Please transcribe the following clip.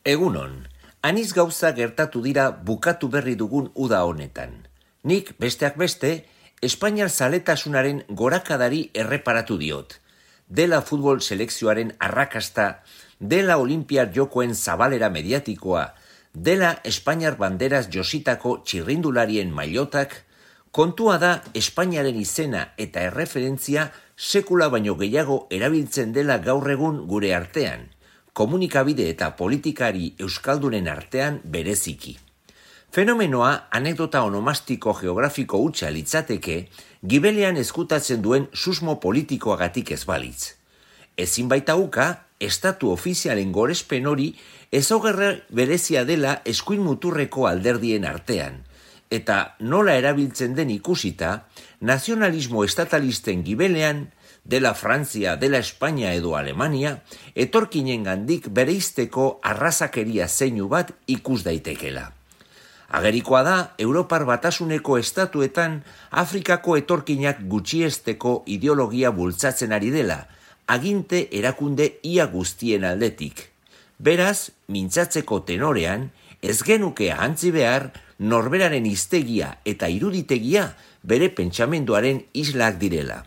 Egunon, aniz gauza gertatu dira bukatu berri dugun uda honetan. Nik, besteak beste, Espainiar zaletasunaren gorakadari erreparatu diot. Dela futbol selekzioaren arrakasta, dela Olinpiar jokoen zabalera mediatikoa, dela Espainiar banderaz jositako txirrindularien mailotak, kontua da Espainiaren izena eta erreferentzia sekula baino gehiago erabiltzen dela gaur egun gure artean, komunikabide eta politikari euskaldunen artean bereziki. Fenomenoa anekdota onomastiko geografiko hutsa litzateke, gibelean ezkutatzen duen susmo politikoagatik ez balitz. Ezin baita uka, estatu ofizialen gorespen hori ezaugarri berezia dela eskuin muturreko alderdien artean, eta nola erabiltzen den ikusita, nazionalismo estatalisten gibelean, dela Frantzia, dela Espainia edo Alemania, etorkinen gandik bereizteko arrazakeria zeinu bat ikus daitekela. Agerikoa da, Europar Batasuneko estatuetan Afrikako etorkinak gutxiesteko ideologia bultzatzen ari dela, aginte erakunde ia guztien aldetik. Beraz, mintzatzeko tenorean, ez genuke ahantzi behar norberaren hiztegia eta iruditegia bere pentsamenduaren islak direla.